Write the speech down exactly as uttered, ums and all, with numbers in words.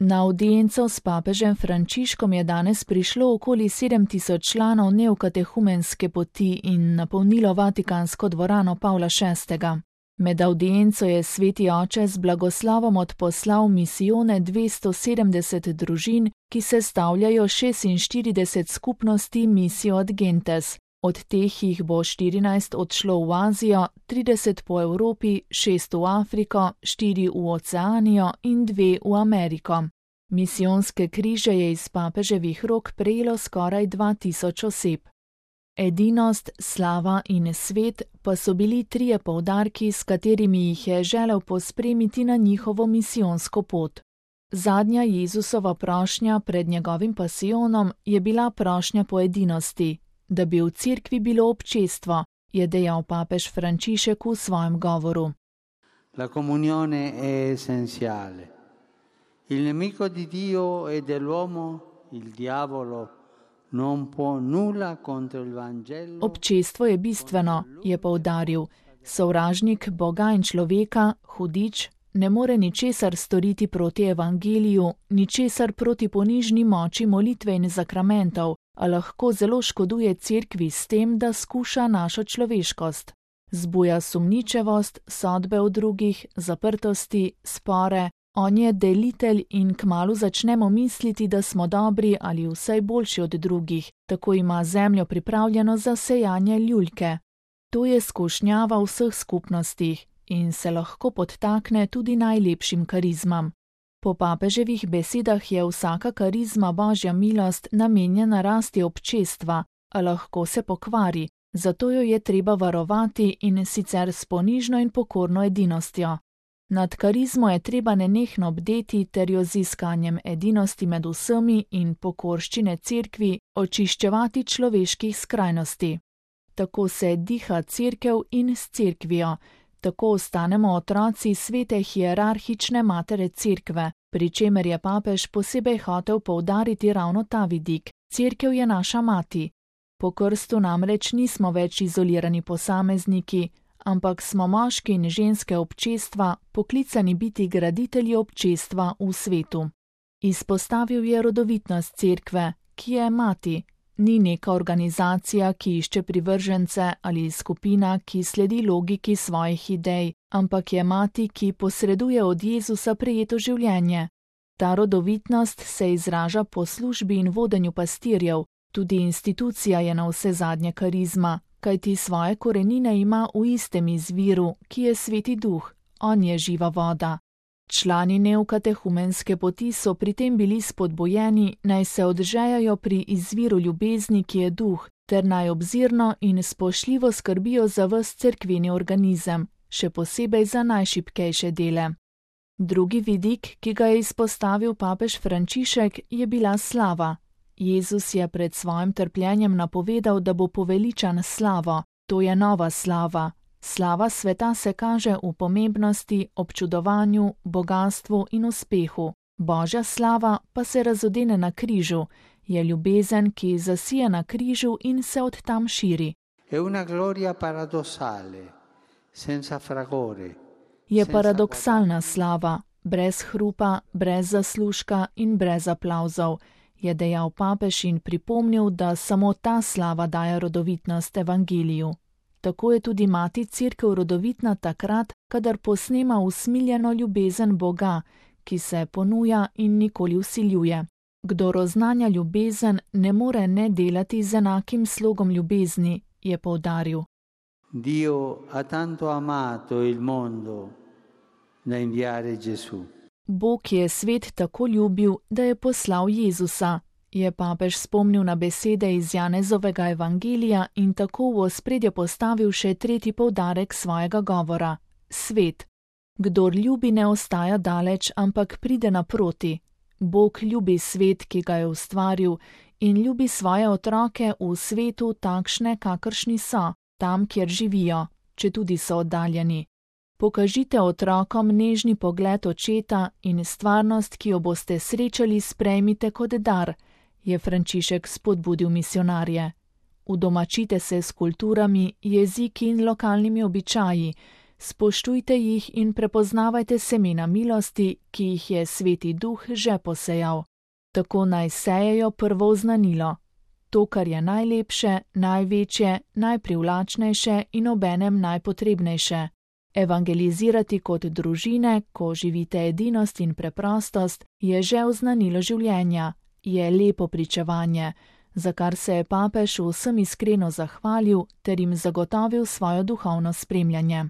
Na avdienco s papežem Frančiškom je danes prišlo okoli sedem tisoč članov neokatehumenske poti in napolnilo Vatikansko dvorano Pavla šestega. Med avdienco je sveti oče z blagoslovom odposlal misijone dvesto sedemdeset družin, ki sestavljajo šestinštirideset skupnosti Missio ad Gentes. Od teh jih bo štirinajst odšlo v Azijo, trideset po Evropi, šest v Afriko, štiri v Oceanijo in dve v Ameriko. Misijonske križe je iz papeževih rok prejelo skoraj dva tisoč oseb. Edinost, slava in svet pa so bili trije poudarki, s katerimi jih je želel pospremiti na njihovo misijonsko pot. Zadnja Jezusova prošnja pred njegovim pasijonom je bila prošnja po edinosti, da bi v cerkvi bilo občestvo, je dejal papež Frančišek v svojem govoru. La comunione è essenziale. Il nemico di Dio e dell'uomo, il diavolo, non può nulla contro il Vangelo. Občestvo je bistveno, je poudaril. Sovražnik Boga in človeka, hudič, ne more ničesar storiti proti evangeliju, ničesar proti ponižni moči molitve in zakramentov, a lahko zelo škoduje cerkvi s tem, da skuša našo človeškost. Zbuja sumničevost, sodbe o drugih, zaprtosti, spore. On je delitelj in kmalu začnemo misliti, da smo dobri ali vsaj boljši od drugih, tako ima zemljo pripravljeno za sejanje ljuljke. To je skušnjava v vseh skupnostih in se lahko podtakne tudi najlepšim karizmam. Po papeževih besedah je vsaka karizma Božja milost namenjena rasti občestva, a lahko se pokvari, zato jo je treba varovati in sicer s ponižno in pokorno edinostjo. Nad karizmo je treba nenehno bdeti ter jo z iskanjem edinosti med vsemi in pokorščine cerkvi očiščevati človeških skrajnosti. Tako se diha cerkev in s cerkvijo, tako ostanemo otroci svete hierarhične matere cerkve, pri čemer je papež posebej hotel poudariti ravno ta vidik. Cerkev je naša mati. Po krstu namreč nismo več izolirani posamezniki, ampak smo moški in ženske občestva, poklicani biti graditelji občestva v svetu. Izpostavil je rodovitnost cerkve, ki je mati. Ni neka organizacija, ki išče privržence ali skupina, ki sledi logiki svojih idej, ampak je mati, ki posreduje od Jezusa prejeto življenje. Ta rodovitnost se izraža po službi in vodenju pastirjev, tudi institucija je na vse zadnje karizma, kajti svoje korenine ima v istem izviru, ki je Sveti Duh, on je živa voda. Člani neokatehumenske poti so pri tem bili spodbujeni, naj se odžejajo pri izviru ljubezni, ki je duh, ter naj obzirno in spoštljivo skrbijo za ves cerkveni organizem, še posebej za najšibkejše dele. Drugi vidik, ki ga je izpostavil papež Frančišek, je bila slava. Jezus je pred svojim trpljenjem napovedal, da bo poveličan slavo, to je nova slava. Slava sveta se kaže v pomembnosti, občudovanju, bogastvu in uspehu. Božja slava pa se razodene na križu, je ljubezen, ki zasije na križu in se od tam širi. Je paradoksalna slava, brez hrupa, brez zaslužka in brez aplavzov, je dejal papež in pripomnil, da samo ta slava daje rodovitnost evangeliju. Tako je tudi mati cerkev rodovitna takrat, kadar posnema usmiljeno ljubezen Boga, ki se ponuja in nikoli vsiljuje. Kdor oznanja ljubezen, ne more ne delati z enakim slogom ljubezni, je poudaril. Dio ha tanto amato il mondo da inviare Gesù. Bog je svet tako ljubil, da je poslal Jezusa, je papež spomnil na besede iz Janezovega evangelija in tako v ospredje postavil še tretji poudarek svojega govora – svet. Kdor ljubi, ne ostaja daleč, ampak pride naproti. Bog ljubi svet, ki ga je ustvaril, in ljubi svoje otroke v svetu takšne, kakršni so, tam, kjer živijo, četudi so oddaljeni. Pokažite otrokom nežni pogled očeta in stvarnost, ki jo boste srečali, sprejmite kot dar, je Frančišek spodbudil misionarje. Udomačite se s kulturami, jeziki in lokalnimi običaji, Spoštujte jih in prepoznavajte semena milosti, ki jih je Sveti Duh že posejal. Tako naj sejejo prvo oznanilo, to, kar je najlepše, največje, najprivlačnejše in obenem najpotrebnejše. Evangelizirati kot družine, ko živite edinost in preprostost, je že oznanilo življenja, je lepo pričevanje, za kar se je papež vsem iskreno zahvalil ter jim zagotovil svojo duhovno spremljanje.